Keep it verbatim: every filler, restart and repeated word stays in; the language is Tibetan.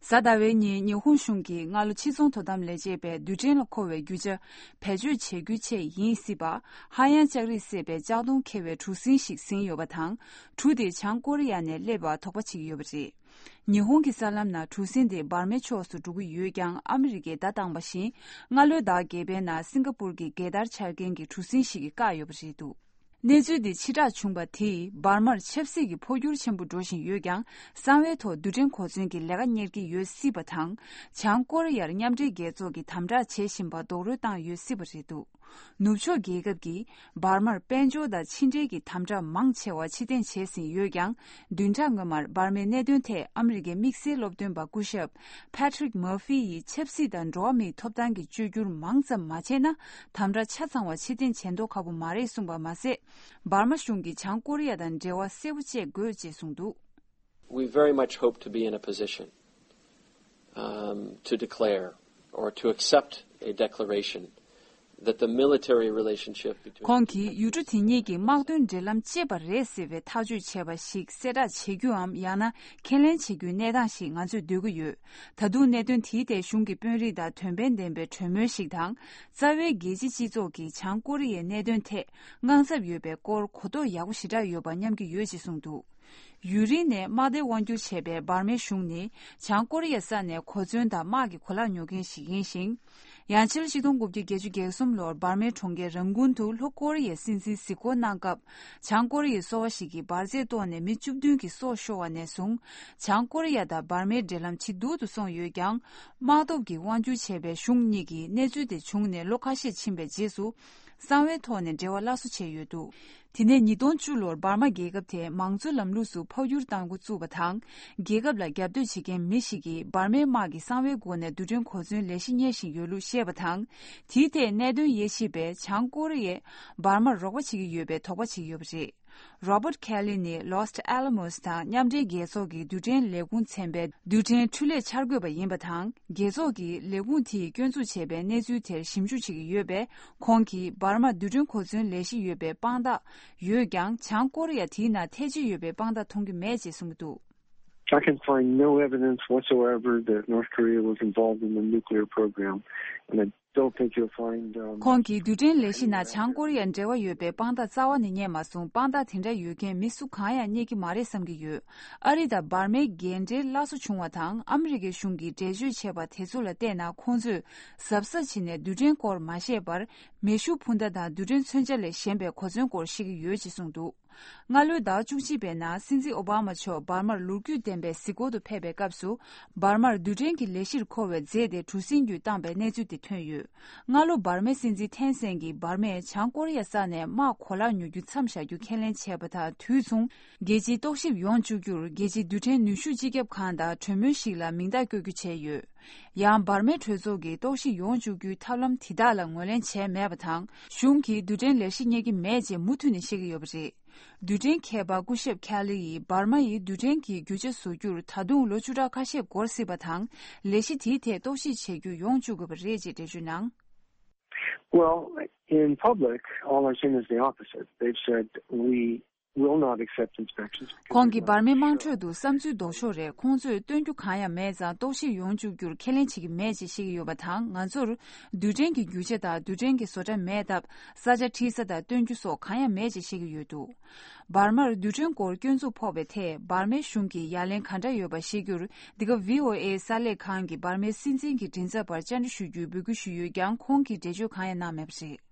གཟའ་ཟླ་བའི་ཉིན་ཉི་ཧོང་གཞུང་གིས་སྔ་ལོ་ཕྱི་ཚོང་དོ་དམ་ལས་བྱེད་པས་རྡུལ་ཕྲན་ལ་མཁོ་བའི་རྒྱུ་ཆ་བེད་སྤྱོད་བྱེད་རྒྱུའི་ཆེད་ཡིན་སྲིད་པ། ཧ་ཡང་ལྕགས་རིགས་བསྲེས་པའི་ལྕགས་དོང་འཁེལ་བའི་གྲུ་གཟིངས་ཤིག་ཟིན་ཡོད་པ་དང་། གྲུ་དེ་བྱང་ཀོ་རི་ཡ་ནས་སླེབས་པར་དོགས་པ་བྱེད་ཀྱི་ཡོད་པ་རེད། ཉི་ཧོང་གི་གསར་ལམ་ནང་གྲུ་གཟིངས་དེ་འབར་མའི་ཕྱོགས་སུ་འགྲོ་གི་ཡོད་ཀྱང་། ཨ་མི་རི་ཀས་ཟླ་དང་པ་བཞིན་སྔ་ལོའི་ཟླ་བརྒྱད་པའི་ནང་སིང་ག་པུར་གྱི་རྒྱལ་དར་འཕྱར་མཁན་གྱི་གྲུ་གཟིངས་ཤིག་གིས་བཀག་ཡོད་པ་རེད་འདུག་གནས་ཚུལ་འདི་ཕྱིར་བསྒྲགས་བྱུང་བ་དེས་འབར་མར་ཆབ་སྲིད་ཀྱི་འཕོ་འགྱུར་ཆེན་པོ་འགྲོ་བཞིན་ཡོད་ཀྱང་། གསང་བའི་ཐོག་རྡུལ་ཕྲན་གོ་མཚོན་གྱི་ལས་ཀ་གཉེར་གྱི་ཡོད་སྲིད་པ་དང་། བྱང་ཀོ་རི་ཡར་མཉམ་འབྲེལ་རྒྱལ་ཚོགས་ཀྱིས་དམ་དྲག་བྱེད་བཞིན་པར་རྡོག་རོལ་བཏང་ཡོད་སྲིད་པ་རེད་འདུག་ནུབ་ཕྱོགས་རྒྱལ་ཁབ་ཀྱིས་འབར་མར་དཔལ་འབྱོར་དང་ཕྱི་འབྲེལ་གྱི་དམ་དྲག་མང་ཆེ་བ་ཕྱིར་འཐེན་བྱས་ཟིན་ཡོད་ཀྱང་། བདུན་ཕྲག་སྔོན་མར་འབར་མའི་གནད་དོན་ཐད་ཨ་མི་རི་ཀའི་དམིགས་བསལ་སློབ་སྟོན་པ་སྐུ་ཞབས་Patrick Murphy ཡིས་ཆབ་སྲིད་དང་འགྲོ་བ་མིའི་ཐོབ་ཐང་གི་བཅོས་བསྒྱུར་མང་ཙམ་མ་བྱས་ན། དམ་དྲག་ཆ་ཚང་བ་ཕྱིར་འཐེན་བྱེད་མདོག་ཁ་པོ་མ་རེད་གསུངས་པ་མ་ཟད། འབར་མ་གཞུང་གིས་བྱང་ཀོ་རི་ཡ་དང་འབྲེལ་བ་གསལ་པོ་བཅད་དགོས་ཅེས་གསུངས་འདུག We very much hope to be in a position, um, to declare or to accept a declaration that the military relationship between ཁོང་གིས་ཡུལ་གྲུ་དེ་གཉིས་ཀྱི་དམག་དོན་འབྲེལ་ལམ་བཅད་པ་རེད་ཟེར་བའི་ཐག་གཅོད་བྱས་པ་ཞིག་གསལ་བསྒྲགས་བྱེད་རྒྱུའམ། ཡང་ན་ཁས་ལེན་བྱེད་རྒྱུའི་གནས་སྟངས་ཤིག་ང་ཚོས་འདོད་ཀྱི་ཡོད། ད་དུང་གནད་དོན་དེའི་ཐད་གཞུང་གི་དཔོན་རིགས་དང་དོན་ཕན་ལྡན་པའི་གྲོས་མོལ་ཞིག་དང་། རྩ་བའི་རྒྱལ་སྤྱིའི་སྤྱི་ཚོགས་ཀྱིས་བྱང་ཀོ་རི་ཡའི་གནད་དོན་ཐད་དངངས་འཚབ་ཡོད་པའི་སྐོར་གོ་རྟོགས་ཡག་པོ་ཞེ་དྲག་ཡོད་པ་སྙམ་གྱི་ཡོད་ཅེས་གསུངས་འདུག་ཡུན་རིང་ནས་དམག་སྡེ་དབང་སྒྱུར་བྱས་པའི་འབར་མའི་གཞུང་ནི་བྱང་ཀོ་རི་ཡའི་ས་ནས་གོ་མཚོན་དང་དམག་གི་གོ་ལག་ཉོ་མཁན་ཞིག་ཡིན་ཞིང་། ཡང་ཕྱི་ལོ་ཆིག་སྟོང་དགུ་བརྒྱ་བརྒྱད་ཅུ་གྱ་གསུམ་ལོར་འབར་མའི་གྲོང་ཁྱེར་རང་ཀུན་དུ་ལྷོ་ཀོ་རི་ཡའི་སྲིད་འཛིན་གཟིགས་སྐོར་གནང་སྐབས། བྱང་ཀོ་རི་ཡའི་སོ་པ་ཞིག་གིས་འབར་རྫས་གཏོར་ནས་མི་བཅུ་བདུན་གྱི་སྲོག་ཤོར་བ་ནས་བཟུང་། བྱང་ཀོ་རི་ཡ་དང་འབར་མའི་འབྲེལ་ལམ་ཇེ་སྡུག་ཏུ་སོང་ཡོད་ཀྱང་། དམག་སྟོབས་ཀྱིས་དབང་སྒྱུར་བྱས་པའི་གཞུང་གཉིས་ཀྱིས་གནས་ཚུལ་དེ་བྱུང་ནས་ལོ་ཁ་ཤས་ཕྱིན་པའི་རྗེས་སུ། གསང་བའི་ཐོག་ནས་འབྲེལ་བ་སླར་གསོ་བྱས་ཡོད་འདུག་དེ་ནས་ཉིས་སྟོང་བཅུ་ལོར་འབར་མ་རྒྱལ་ཁབ་དེས་མང་གཙོའི་ལམ་ལུགས་སུ་འཕོ་འགྱུར་གཏང་འགོ་བཙུགས་པ་དང་། རྒྱལ་ཁབ་ལ་རྒྱབ་གཏོད་བྱེད་མཁན་མི་ཞིག་གིས་འབར་མའི་དམག་གིས་གསང་བའི་སྒོ་ནས་རྡུལ་ཕྲན་གོ་མཚོན་ལས་གཞི་གཉེར་བཞིན་ཡོད་ལུགས་བཤད་པ་དང་། དེའི་ཐད་གནད་དོན་དབྱེ་ཞིབ་པས་བྱང་ཀོ་རི་ཡས་འབར་མར་རོགས་པ་བྱེད་ཀྱི་ཡོད་པའི་དོགས་པ་བྱེད་ཀྱི་ཡོད་པ་རེད། Robert Kelly ནི་Los Alamos དང་མཉམ་འབྲེལ་རྒྱལ་ཚོགས་ཀྱི་རྡུལ་ཕྲན་ལས་ཁུངས་ཚན་པའི་རྡུལ་ཕྲན་འཕྲུལ་ལས་འཆར་འགོད་པ་ཡིན་པ་དང་། རྒྱལ་ཚོགས་ཀྱི་ལས་ཁུངས་དེས་སྐྱོན་འཛུགས་བྱས་པའི་གནས་ཚུལ་དེར་ཞིབ་འཇུག་བྱེད་ཀྱི་ཡོད་པས། ཁོང་གིས་འབར་མར་རྡུལ་ཕྲན་གོ་མཚོན་ལས་གཞི་ཡོད་པའི་དཔང་རྟགས་ཡོད་ཀྱང་། བྱང་ཀོ་རི་ཡ་དེའི་ནང་ཐེ་ཇུས་ཡོད་པའི་དཔང་རྟགས་མཐོང་རྒྱུ་མེད་ཅེས་གསུངས་ཀྱི་འདུག I can find no evidence whatsoever that North Korea was involved in the nuclear program, and I don't think you'll find, um, ཁོང་གིས་རྡུལ་ཕྲན་ལས་གཞི་ནང་བྱང་ཀོ་རི་ཡ་འབྲེལ་བ་ཡོད་པའི་དཔང་རྟགས་རྩ་བ་ནས་རྙེད་མ་སོང་། དཔང་རྟགས་དེ་འདྲ་ཡོད་མཁན་མི་སུ་གང་ཡང་རྙེད་ཀྱི་མ་རེད་བསམ་གྱི་ཡོད། ཨ་རི་དང་འབར་མའི་འགལ་འབྲེལ་སླར་གསོ་བྱུང་བ་དང་། ཨ་མི་རི་ཀའི་གཞུང་གིས་འགྲེལ་བརྗོད་བྱས་པ་དེ་ཚོ་ལ་བལྟས་ན། ཁོང་ཚོས་གཟབ་གཟབ་བྱས་ནས་རྡུལ་ཕྲན་སྐོར་མ་བཤད་པར། མེ་ཤུགས་འཕུར་མདའ་དང་རྡུལ་ཕྲན་མཚོན་ཆ་ལས་གཞན་པའི་གོ་མཚོན་སྐོར་བཤད་ཀྱི་ཡོད་ཅེས་གསུངས་འདུག་སྔ་ལོའི་ཟླ་བཅུ་གཅིག་པའི་ནང་སྲིད་འཛིན་ཨོ་བྷ་མ་མཆོག་འབར་མར་ལོ་རྒྱུས་ལྡན་པའི་གཟིགས་སྐོར་དུ་ཕེབས་པའི་སྐབས་སུ། འབར་མར་རྡུལ་ཕྲན་གྱི་ལས་གཞིར་མཁོ་བའི་རྫས་དེ་གྲུ་གཟིངས་བརྒྱུད་བཏང་པའི་གནས་ཚུལ་དེ་ཐོན་ཡོད། སྔ་ལོ་འབར་མའི་སྲིད་འཛིན་ཐེན་སན་གྱིས་འབར་མས་བྱང་ཀོ་རི་ཡ་ས་ནས་དམག་གོ་ལག་ཉོ་རྒྱུ་མཚམས་བཞག་རྒྱུ་ཁས་ལེན་བྱས་པ་དང་དུས་མཚུངས། རྒྱལ་སྤྱིའི་རྟོག་ཞིབ་ཡོང་བཅུག་རྒྱུར་རྒྱལ་སྤྱིའི་རྡུལ་ཕྲན་ནུས་ཤུགས་སྤྱི་ཁྱབ་ཁང་དང་གྲོས་མོལ་ཞིག་ལ་མིང་རྟགས་བཀོད་རྒྱུ་བྱས་ཡོད། ཡང་འབར་མའི་གྲོས་ཚོགས་ཀྱིས་རྟོག་ཞིབ་ཡོང་བཅུག་རྒྱུའི་ཐབས་ལམ་དེ་དག་ལ་ངོས་ལེན་བྱས་མེད་པ་དང་། གཞུང་གིས་རྡུལ་ཕྲན་ལས་གཞི་གཉེར་གྱི་མེད་ཅེས་མུ་མཐུད་ནས་བཤད་ཀྱི་ཡོད་པ་རེད། རྡུལ་ཕྲན་མཁས་པ་སྐུ་ཞབས་ཁེ་ལི་ཡིས་འབར་མ་ཡིས་རྡུལ་ཕྲན་གྱི་རྒྱུ་ཆ་བཟོ་རྒྱུར་ད་དུང་ལོ་བཅུ་ཕྲག་ཁ་ཤས་འགོར་སྲིད་པ་དང་། ལས་གཞི་དེའི་ཐད་རྟོག་ཞིབ་བྱེད་རྒྱུ་ཡོང་བཅུག་དགོས་པ་རེད་ཅེས་འགྲེལ་བརྗོད་གནང་། Well, in public, all I've seen is the opposite. They've said, "We will not accept inspections because ཁོང་གིས་འབར་མའི་དམངས་ཁྲོད་དུ་བསམ་ཚུལ་ལྡོག་ཕྱོགས་རེད། ཁོང་ཚོས་སྟོན་རྒྱུ་གང་ཡང་མེད་ཙང་། རྟོག་ཞིབ་ཡོང་བཅུག་རྒྱུར་ཁས་ལེན་བྱེད་ཀྱི་མེད་ཅེས་བཤད་ཀྱི་ཡོད་པ་དང་། ང་ཚོར་རྡུལ་ཕྲན་གྱི་རྒྱུ་ཆ་དང་རྡུལ་ཕྲན་གྱི་བཟོ་གྲྭ་མེད་སྟབས། ས་ཆ་འཁྲིད་ས་དང་སྟོན་རྒྱུ་སོགས་གང་ཡང་མེད་ཅེས་བཤད་ཀྱི་ཡོད་འདུག་འབར་མར་རྡུལ་ཕྲན་སྐོར་སྐྱོན་འཛུགས་ཕོག་པའི་ཐད་འབར་མའི་གཞུང་གིས་ཡ་ལན་ག་འདྲ་ཡོད་པ་ཤེས་རྒྱུར། འདི་ག་བྷི་ཨོ་ཨེ་གསར་ལས་ཁང་གིས་འབར་མའི་སྲིད་འཛིན་གྱི་མགྲིན་ཚབ་པར་བཅར་འདྲི་ཞུ་རྒྱུའི་འབོད་སྐུལ་ཞུས་ཡོད་ཀྱང་། ཁོང་གིས་འགྲེལ་བརྗོད་གང་ཡང་གནང་མེད་པ་རེད།